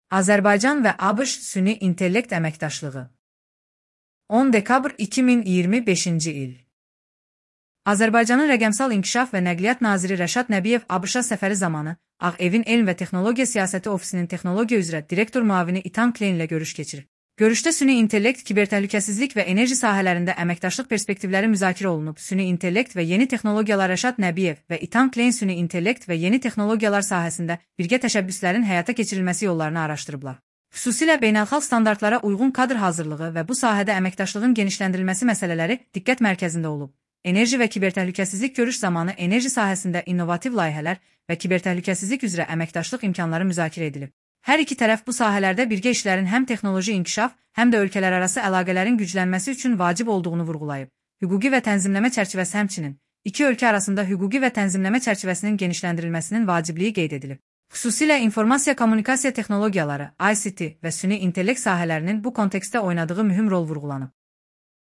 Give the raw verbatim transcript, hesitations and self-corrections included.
Azərbaycan və ABŞ süni intellekt əməkdaşlığı. on dekabr iki min iyirmi beşinci il. Azərbaycanın Rəqəmsal İnkişaf və Nəqliyyat naziri Rəşad Nəbiyev ABŞ-a səfəri zamanı Ağ Evin Elm və Texnologiya Siyasəti Ofisinin texnologiya üzrə direktor müavini Ethan Klein ilə görüş keçirib. Görüşdə süni intellekt, kibertəhlükəsizlik və enerji sahələrində əməkdaşlıq perspektivləri müzakirə olunub. Süni intellekt və yeni texnologiyalar Rəşad Nəbiyev və Ethan Klein süni intellekt və yeni texnologiyalar sahəsində birgə təşəbbüslərin həyata keçirilməsi yollarını araşdırıblar. Xüsusilə beynəlxalq standartlara uyğun kadr hazırlığı və bu sahədə əməkdaşlığın genişləndirilməsi məsələləri diqqət mərkəzində olub. Enerji və kibertəhlükəsizlik görüş zamanı enerji sahəsində innovativ layihələr və kibertəhlükəsizlik üzrə əməkdaşlıq imkanları müzakirə edilib. Hər iki tərəf bu sahələrdə birgə işlərin həm texnoloji inkişaf, həm də ölkələrarası əlaqələrin güclənməsi üçün vacib olduğunu vurğulayıb. Hüquqi və tənzimləmə çərçivəsi həmçinin iki ölkə arasında hüquqi və tənzimləmə çərçivəsinin genişləndirilməsinin vacibliyi qeyd edilib. Xüsusilə informasiya kommunikasiya texnologiyaları, I C T və süni intellekt sahələrinin bu kontekstdə oynadığı mühüm rol vurğulanıb.